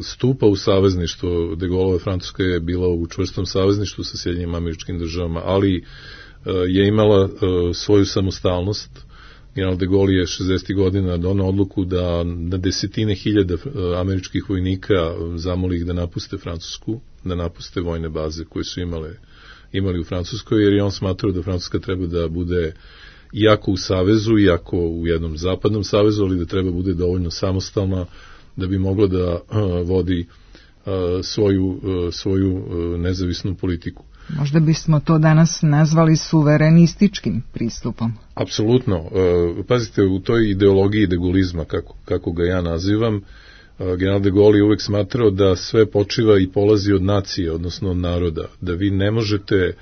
[SPEAKER 18] stupa u savezništvo, de Gaulleova Francuska je bila u čvrstom savezništvu sa Sjedinjenim Američkim Državama, ali je imala svoju samostalnost. General de Gaulle je šezdesetih godina doneo odluku da na desetine hiljada američkih vojnika zamoli ih da napuste Francusku, da napuste vojne baze koje su imale, imali u Francuskoj, jer je on smatrao da Francuska treba da bude iako u savezu, iako u jednom zapadnom savezu, ali da treba bude dovoljno samostalna da bi mogla da uh, vodi uh, svoju, uh, svoju uh, nezavisnu politiku.
[SPEAKER 3] Možda bismo to danas nazvali suverenističkim pristupom.
[SPEAKER 18] Apsolutno. Uh, pazite, u toj ideologiji degolizma, kako, kako ga ja nazivam, uh, general de Gaulle je uvek smatrao da sve počiva i polazi od nacije, odnosno od naroda, da vi ne možete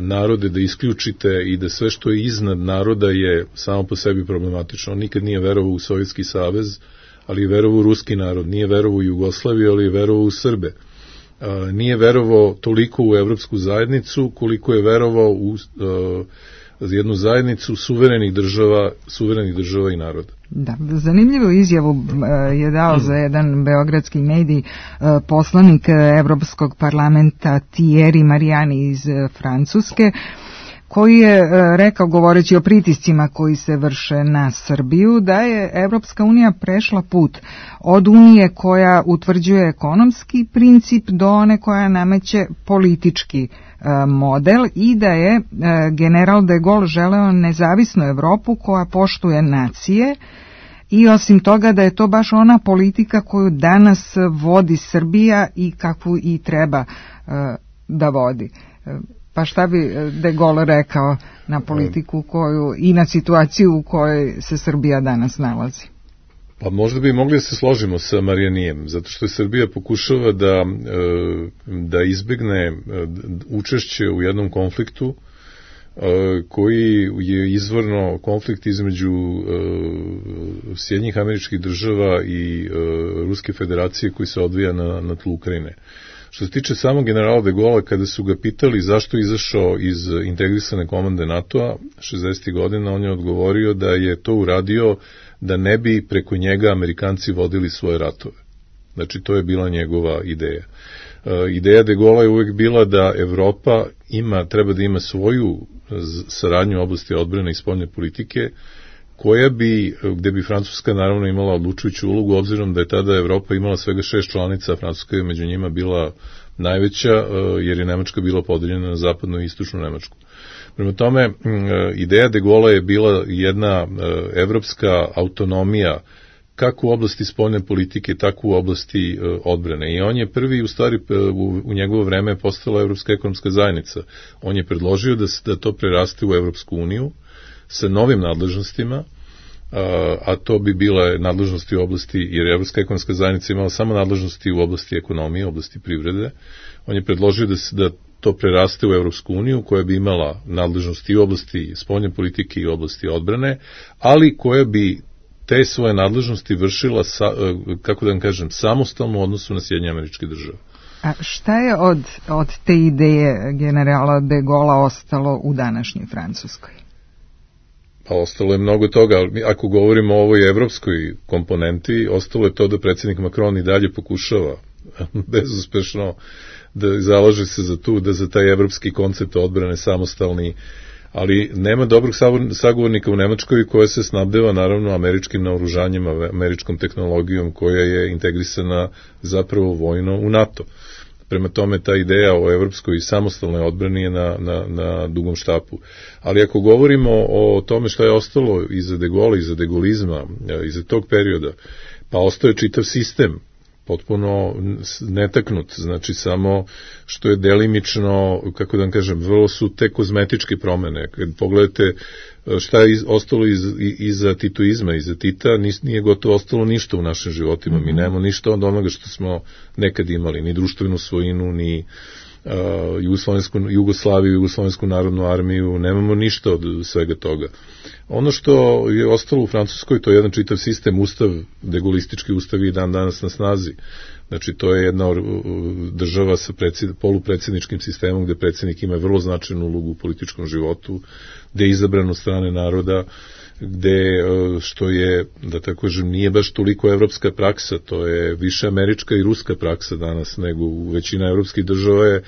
[SPEAKER 18] narode da isključite i da sve što je iznad naroda je samo po sebi problematično. On nikad nije verovao u Sovjetski savez, ali je verovao u ruski narod, nije verovao u Jugoslaviju, ali je verovao u Srbe. Nije verovao toliko u Evropsku zajednicu koliko je verovao u jednu zajednicu suverenih država, suverenih država i naroda.
[SPEAKER 3] Da, zanimljivu izjavu je dao za jedan beogradski medij poslanik Evropskog parlamenta Thierry Mariani iz Francuske, koji je rekao, govoreći o pritiscima koji se vrše na Srbiju, da je Evropska unija prešla put od unije koja utvrđuje ekonomski princip do one koja nameće politički model i da je general de Gaulle želeo nezavisnu Evropu koja poštuje nacije i osim toga da je to baš ona politika koju danas vodi Srbija i kakvu i treba da vodi. Pa šta bi de Gaulle rekao na politiku koju i na situaciju u kojoj se Srbija danas nalazi?
[SPEAKER 18] Pa možda bi mogli da se složimo sa Marijanijem, zato što je Srbija pokušava da, da izbegne učešće u jednom konfliktu koji je izvorno konflikt između Sjedinjenih Američkih Država i Ruske federacije koji se odvija na, na tlu Ukrajine. Što se tiče samog generala de Gaulle, kada su ga pitali zašto je izašao iz integrisane komande NATO-a šezdesetih godina, on je odgovorio da je to uradio da ne bi preko njega Amerikanci vodili svoje ratove. Znači, to je bila njegova ideja. E, ideja de Gaulle je uvek bila da Evropa ima, treba da ima svoju saradnju u oblasti odbrane i spoljne politike, koja bi, gde bi Francuska naravno imala odlučujuću ulogu, obzirom da je tada Evropa imala svega šest članica, Francuska je među njima bila najveća, jer je Nemačka bila podeljena na zapadnu i istočnu Nemačku. Prema tome, ideja de Gaulle je bila jedna evropska autonomija, kako u oblasti spoljne politike, tako u oblasti odbrane. I on je prvi, u stvari, u, u njegovo vreme postala Evropska ekonomska zajednica. On je predložio da, da to preraste u Evropsku uniju sa novim nadležnostima, a, a to bi bile nadležnosti u oblasti, jer Evropska ekonomska zajednica imala samo nadležnosti u oblasti ekonomije, u oblasti privrede. On je predložio da, da to preraste u Evropsku uniju, koja bi imala nadležnosti i u oblasti spoljne politike i u oblasti odbrane, ali koja bi te svoje nadležnosti vršila, sa, kako da vam kažem, samostalno u odnosu na Sjedinjene Američke Države.
[SPEAKER 3] A šta je od, od te ideje generala de Gaulle ostalo u današnjoj Francuskoj?
[SPEAKER 18] Pa ostalo je mnogo toga, ali ako govorimo o ovoj evropskoj komponenti, ostalo je to da predsjednik Macron i dalje pokušava bezuspešno da zalaže se za tu, da za taj evropski koncept odbrane samostalni, ali nema dobrog sagovornika u Nemačkoj koja se snabdeva naravno američkim naoružanjem, američkom tehnologijom koja je integrisana zapravo vojno u NATO. Prema tome ta ideja o evropskoj samostalnoj odbrani je na, na, na dugom štapu. Ali ako govorimo o tome što je ostalo iza de Gaulle, iza de Gaulizma, iza tog perioda, pa ostao je čitav sistem potpuno netaknut, znači samo što je delimično, kako da vam kažem, vrlo su te kozmetičke promene. Kad pogledate šta je ostalo iz, iza titoizma, iza Tita, nije gotovo ostalo ništa u našim životima. Mi nemamo ništa od onoga što smo nekad imali, ni društvenu svojinu, ni uh, Jugoslovensku, Jugoslaviju, Jugoslovensku narodnu armiju, nemamo ništa od svega toga. Ono što je ostalo u Francuskoj, to je jedan čitav sistem, ustav, degaulistički ustav i dan danas na snazi. Znači, to je jedna država sa predsjed, polupredsjedničkim sistemom gde predsjednik ima vrlo značajnu ulogu u političkom životu, gde je izabran od strane naroda, gde, što je, da tako kažem, nije baš toliko evropska praksa, to je više američka i ruska praksa danas, nego u većina evropskih država je,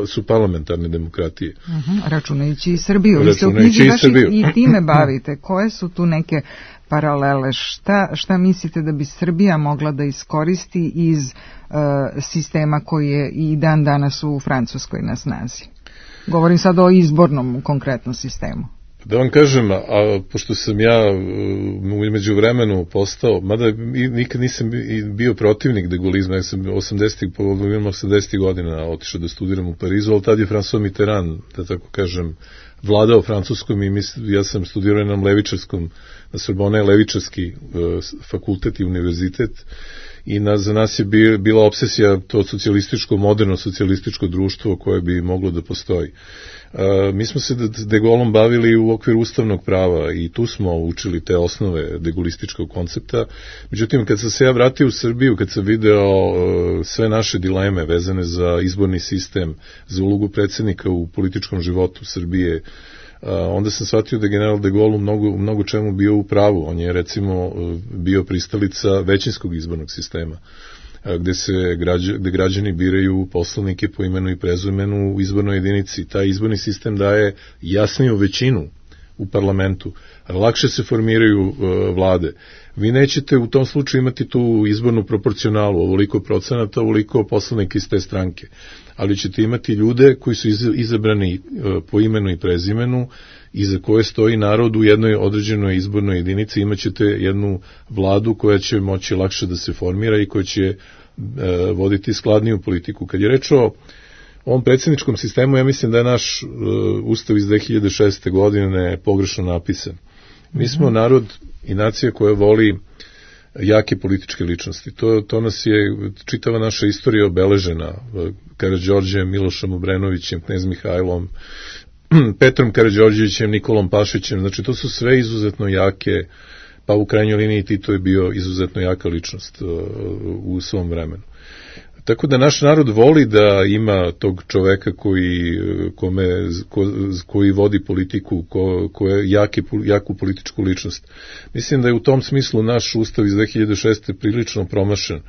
[SPEAKER 18] su parlamentarne demokratije.
[SPEAKER 3] Uh-huh, računajući i Srbiju. Vi se u knjizi baš i time bavite. Koje su tu neke paralele? Šta, šta mislite da bi Srbija mogla da iskoristi iz uh, sistema koji je i dan danas u Francuskoj na snazi? Govorim sad o izbornom konkretnom sistemu.
[SPEAKER 18] Da vam kažem, a pošto sam ja u međuvremenu postao, mada nikad nisam bio protivnik de Gaulizma, ja sam osamdesetih godina otišao da studiram u Parizu, ali tad je François Mitterrand, da tako kažem, vladao Francuskom i mislim, ja sam studirao na levičarskom, na Sorbonne levičarski fakultet i univerzitet, i na, za nas je bi, bila obsesija to socijalističko, moderno socijalističko društvo koje bi moglo da postoji. Uh, mi smo se de Gaulleom bavili u okviru ustavnog prava i tu smo učili te osnove de Gaullističkog koncepta. Međutim, kad sam se ja vratio u Srbiju, kad sam video uh, sve naše dileme vezane za izborni sistem, za ulogu predsjednika u političkom životu Srbije, Uh, onda sam shvatio da je general de Gaulle u mnogo, u mnogo čemu bio u pravu. On je recimo uh, bio pristalica većinskog izbornog sistema, uh, gde se građa, gde građani biraju poslanike po imenu i prezimenu u izbornoj jedinici. Taj izborni sistem daje jasniju većinu u parlamentu, lakše se formiraju uh, vlade. Vi nećete u tom slučaju imati tu izbornu proporcionalu, ovoliko procenata, ovoliko poslanika iz te stranke, ali ćete imati ljude koji su izabrani po imenu i prezimenu i za koje stoji narod u jednoj određenoj izbornoj jedinici. Imaćete jednu vladu koja će moći lakše da se formira i koja će voditi skladniju politiku. Kad je reč o ovom predsjedničkom sistemu, ja mislim da je naš ustav iz dve hiljade šeste. godine pogrešno napisan. Mi smo narod i nacija koja voli jake političke ličnosti. To, to nas je, čitava naša istorija obeležena Karađorđem, Milošem Obrenovićem, knez Mihajlom, Petrom Karađorđevićem, Nikolom Pašićem. Znači, to su sve izuzetno jake, pa u krajnjoj liniji Tito je bio izuzetno jaka ličnost uh, u svom vremenu. Tako da naš narod voli da ima tog čoveka koji, kome, ko, koji vodi politiku, ko, ko je jaki, jaku političku ličnost. Mislim da je u tom smislu naš ustav iz dve hiljade šeste. prilično promašen,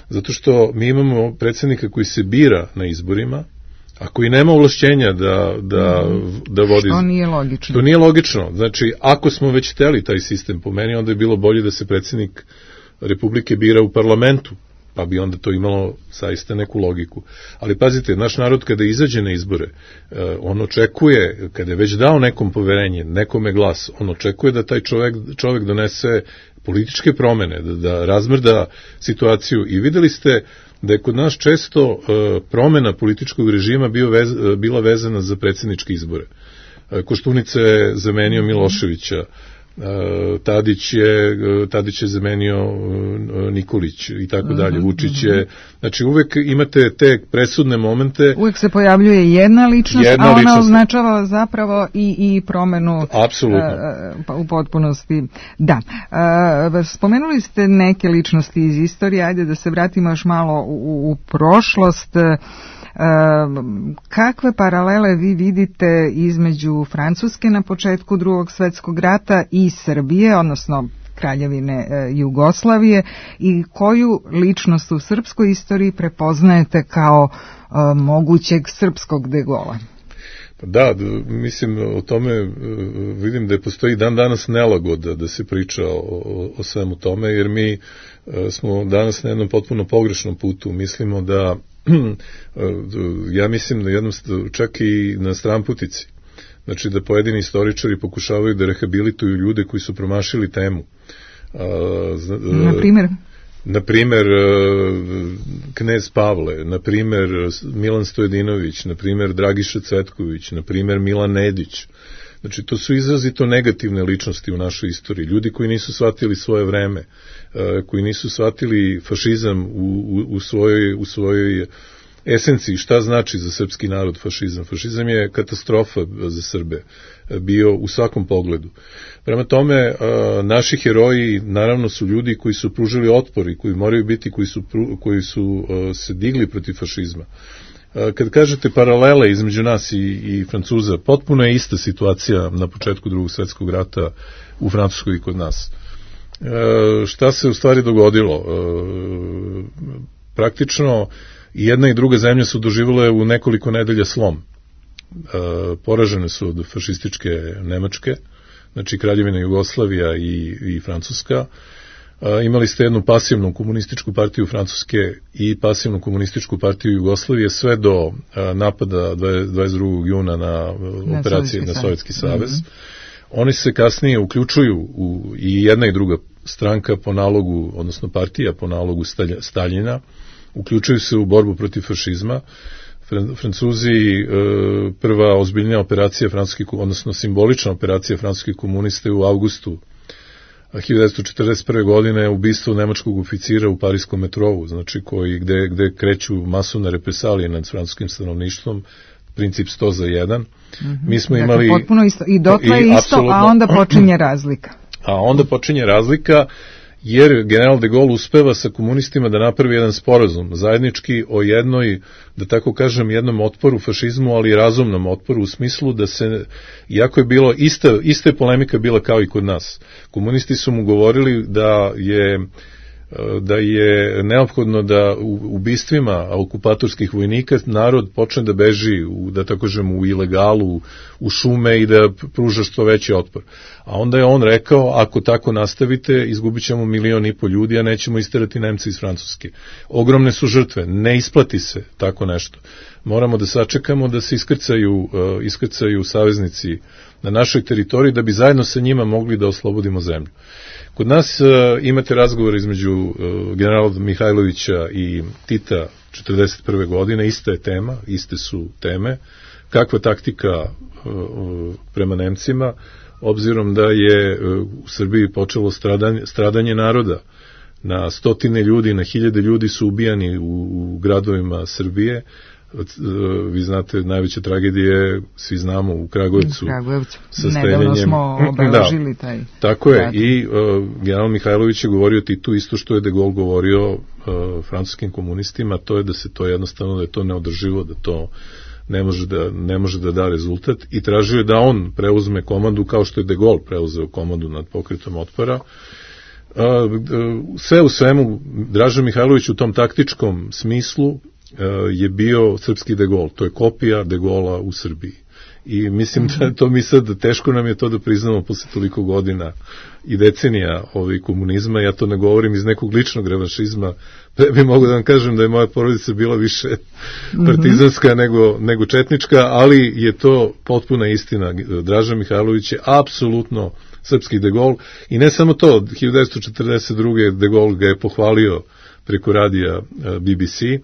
[SPEAKER 18] zato što mi imamo predsjednika koji se bira na izborima, a koji nema ovlašćenja da, da, da vodi...
[SPEAKER 3] Što nije logično.
[SPEAKER 18] Što nije logično. Znači, ako smo već hteli taj sistem po meni, onda je bilo bolje da se predsjednik Republike bira u parlamentu, pa bi onda to imalo zaista neku logiku. Ali pazite, naš narod kada izađe na izbore, on očekuje, kada je već dao nekom poverenje, nekome glas, on očekuje da taj čovek, čovek donese političke promene, da, da razmrda situaciju, i videli ste da je kod nas često promena političkog režima bio vez, bila vezana za predsjedničke izbore. Koštunica je zamenio Miloševića, Tadić je, Tadić je zamenio Nikolić i tako dalje, Vučić je, znači uvek imate te presudne momente.
[SPEAKER 3] Uvek se pojavljuje jedna ličnost, jedna a ona ličnost. Označava zapravo i, i promenu
[SPEAKER 18] apsolutno.
[SPEAKER 3] Uh, u potpunosti. Da. Uh, spomenuli ste neke ličnosti iz istorije, ajde da se vratimo još malo u, u prošlost. Uh, kakve paralele vi vidite između Francuske na početku Drugog svjetskog rata i Srbije, odnosno Kraljevine uh, Jugoslavije, i koju ličnost u srpskoj istoriji prepoznajete kao uh, mogućeg srpskog De Gaulea?
[SPEAKER 18] Da, mislim, o tome vidim da postoji dan danas nelagoda da se priča o, o, o svemu tome, jer mi smo danas na jednom potpuno pogrešnom putu. Mislimo da, ja mislim da jednom, čak i na stranputici, znači da pojedini istoričari pokušavaju da rehabilituju ljude koji su promašili temu.
[SPEAKER 3] Na primjer?
[SPEAKER 18] Na primjer, knez Pavle, na primjer Milan Stojedinović, na primjer Dragiša Cvetković, na primjer Milan Nedić. Znači, to su izrazito negativne ličnosti u našoj istoriji. Ljudi koji nisu shvatili svoje vreme, koji nisu shvatili fašizam u, u, u, svojoj, u svojoj esenciji, šta znači za srpski narod fašizam. Fašizam je katastrofa za Srbe, bio u svakom pogledu. Prema tome, naši heroji naravno su ljudi koji su pružili otpor i koji moraju biti, koji su, koji su se digli protiv fašizma. Kad kažete paralele između nas i, i Francuza, potpuno je ista situacija na početku Drugog svjetskog rata u Francuskoj i kod nas. E, šta se u stvari dogodilo? E, praktično i jedna i druga zemlja su doživjele u nekoliko nedelja slom. E, poražene su od fašističke Nemačke, znači Kraljevina Jugoslavija i, i Francuska. E, imali ste jednu pasivnu komunističku partiju Francuske i pasivnu komunističku partiju Jugoslavije sve do e, napada dvadeset drugog juna na, na operacije na Sovjetski savez. Mm-hmm. Oni se kasnije uključuju u, i jedna i druga stranka po nalogu, odnosno partija po nalogu Staljina, uključuju se u borbu protiv fašizma. Francuzi, prva ozbiljnija operacija francuskih, odnosno simbolična operacija francuskih komunista u avgustu hiljadu devetsto četrdeset prve. godine ubistvo nemačkog oficira u pariskom metrovu, znači koji, gde, gde kreću masovne represalije nad francuskim stanovništvom, princip sto za jedan. Mm-hmm. Mi smo dakle, imali...
[SPEAKER 3] potpuno isto. I dotle je isto, a onda počinje razlika.
[SPEAKER 18] A onda počinje razlika, jer general de Gaulle uspeva sa komunistima da napravi jedan sporazum zajednički o jednoj, da tako kažem, jednom otporu fašizmu, ali razumnom otporu u smislu da se, iako je bilo ista, ista je polemika bila kao i kod nas, komunisti su mu govorili da je da je neophodno da u ubistvima okupatorskih vojnika narod počne da beži u, da tako kažem, u ilegalu, u šume i da pruža što veći otpor. A onda je on rekao, ako tako nastavite, izgubit ćemo milion i po ljudi, a nećemo isterati Nemce iz Francuske. Ogromne su žrtve, ne isplati se tako nešto. Moramo da sačekamo da se iskrcaju, uh, iskrcaju saveznici na našoj teritoriji, da bi zajedno sa njima mogli da oslobodimo zemlju. Kod nas uh, imate razgovor između uh, generala Mihajlovića i Tita četrdeset prve. godine, ista je tema, iste su teme. Kakva taktika uh, uh, prema Nemcima, obzirom da je uh, u Srbiji počelo stradanje, stradanje naroda. Na stotine ljudi, na hiljade ljudi su ubijani u, u gradovima Srbije. Vi znate, najveća tragedija je, svi znamo, u Kragujevcu.
[SPEAKER 3] Kragujevcu. Nedavno smo obeležili taj.
[SPEAKER 18] Da, tako je. I uh, general Mihajlović je govorio Titu isto što je de Gaulle govorio uh, francuskim komunistima, to je da se to jednostavno, da je to neodrživo, da to ne može da, ne može da da rezultat, i tražio je da on preuzme komandu kao što je de Gaulle preuzeo komandu nad pokretom otpora. Uh, sve u svemu, Draža Mihajlović u tom taktičkom smislu je bio srpski de Gaulle, to je kopija de Gaulea u Srbiji. I mislim da to mi sad, teško nam je to da priznamo posle toliko godina i decenija ovaj komunizma. Ja to ne govorim iz nekog ličnog revanšizma. Pre bi mogu da vam kažem da je moja porodica bila više partizanska mm-hmm. nego, nego četnička, ali je to potpuna istina. Draža Mihajlović je apsolutno srpski De Gaulle i ne samo to, hiljadu devetsto četrdeset druge. De Gaulle ga je pohvalio preko radija B B C.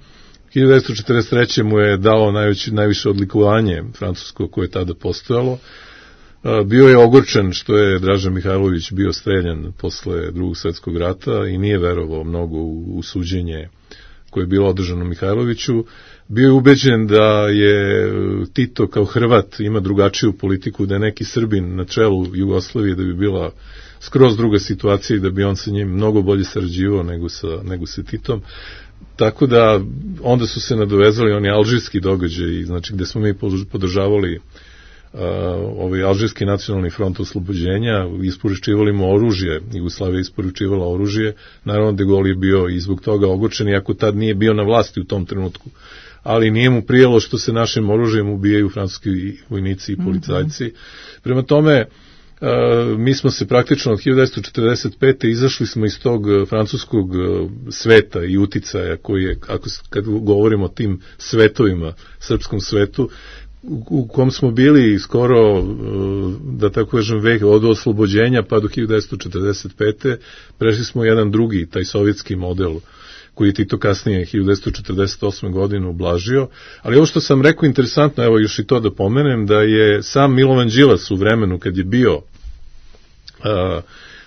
[SPEAKER 18] hiljadu devetsto četrdeset treće. mu je dao najveće, najviše odlikovanje francusko koje je tada postojalo. Bio je ogorčen što je Draža Mihajlović bio streljan posle drugog svjetskog rata i nije verovao mnogo u, u suđenje koje je bilo održano Mihajloviću. Bio je ubeđen da je Tito kao Hrvat ima drugačiju politiku, da je neki Srbin na čelu Jugoslavije, da bi bila skroz druga situacija i da bi on sa njim mnogo bolje sarađivao nego sa, nego sa Titom. Tako da onda su se nadovezali oni alžirski događaji, znači gde smo mi podržavali Uh, ovaj Alžirski nacionalni front oslobođenja, isporučivali mu oružje, Jugoslavija isporučivala oružje, naravno De Gaulle je bio i zbog toga ogorčen, iako tad nije bio na vlasti u tom trenutku, ali nije mu prijelo što se našim oružjem ubijaju francuski vojnici i policajci. Mm-hmm. Prema tome, uh, mi smo se praktično od hiljadu devetsto četrdeset pete izašli smo iz tog francuskog sveta i uticaja koji je, ako, kad govorimo o tim svetovima, srpskom svetu, u kom smo bili skoro, da tako kažem, vek od oslobođenja pa do hiljadu devetsto četrdeset pete. prešli smo jedan drugi, taj sovjetski model koji je Tito kasnije hiljadu devetsto četrdeset osme. godine ublažio. Ali ovo što sam rekao interesantno, evo još i to da pomenem, da je sam Milovan Đilas u vremenu kad je bio uh,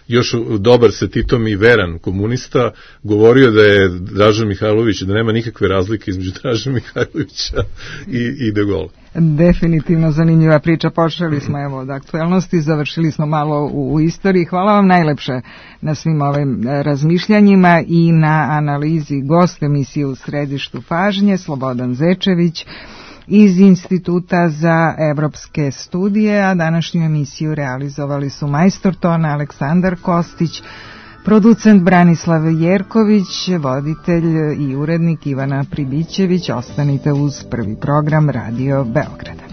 [SPEAKER 18] još dobar sa Titom i veran komunista, govorio da je Draža Mihajlović, da nema nikakve razlike između Draža Mihajlovića i, i De Gaulle.
[SPEAKER 3] Definitivno zanimljiva priča. Počeli smo evo od aktuelnosti, završili smo malo u, u istoriji. Hvala vam najlepše na svim ovim razmišljanjima i na analizi. Gost emisije U središtu pažnje Slobodan Zečević iz Instituta za evropske studije, a današnju emisiju realizovali su majstor tona Aleksandar Kostić, producent Branislav Jerković, voditelj i urednik Ivana Pribićević. Ostanite uz prvi program Radio Beograda.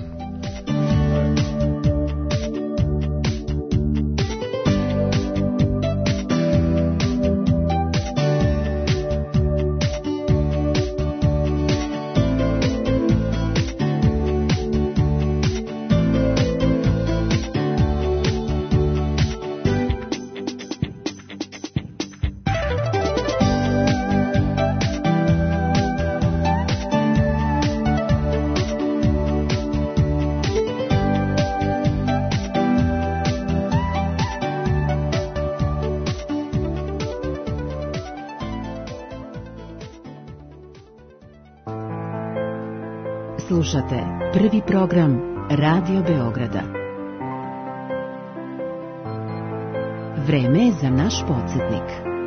[SPEAKER 19] Slušate prvi program Radio Beograda. Vreme je za naš podsjetnik.